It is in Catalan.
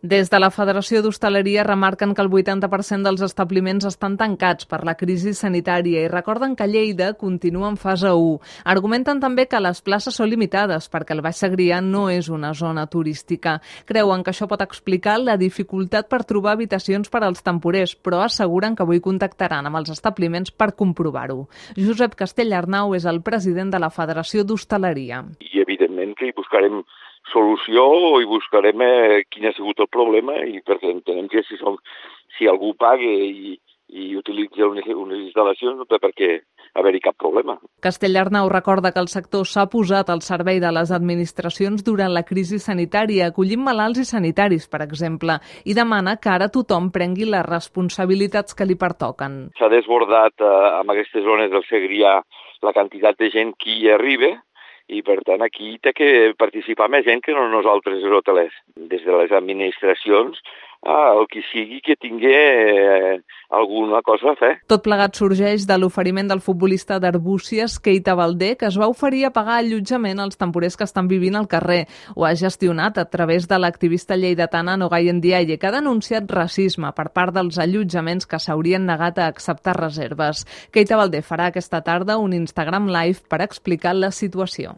Des de la Federació d'Hostaleria remarquen que el 80% dels establiments estan tancats per la crisi sanitària i recorden que Lleida continua en fase 1. Argumenten també que les places són limitades perquè el Baix Segrià no és una zona turística. Creuen que això pot explicar la dificultat per trobar habitacions per als temporers, però asseguren que avui contactaran amb els establiments per comprovar-ho. Josep Castellarnau és el president de la Federació d'Hostaleria. I evidentment que hi buscarem solució i buscarem quin ha sigut el problema i perquè entenem que si algú paga i utilitza unes instal·lacions no té per què haver-hi cap problema. Castellarnau recorda que el sector s'ha posat al servei de les administracions durant la crisi sanitària, acollint malalts i sanitaris, per exemple, i demana que ara tothom prengui les responsabilitats que li pertoquen. S'ha desbordat amb aquestes zones del Segrià la quantitat de gent que hi arriba i, per tant, aquí té que participar més gent que no nosaltres, els hotelers. Des de les administracions, el que sigui que tingui alguna cosa a fer. Tot plegat sorgeix de l'oferiment del futbolista d'Arbúcies, Keita Baldé, que es va oferir a pagar allotjament als temporers que estan vivint al carrer. Ho ha gestionat a través de l'activista lleidatana Nogay Ndiaye, que ha denunciat racisme per part dels allotjaments que s'haurien negat a acceptar reserves. Keita Baldé farà aquesta tarda un Instagram Live per explicar la situació.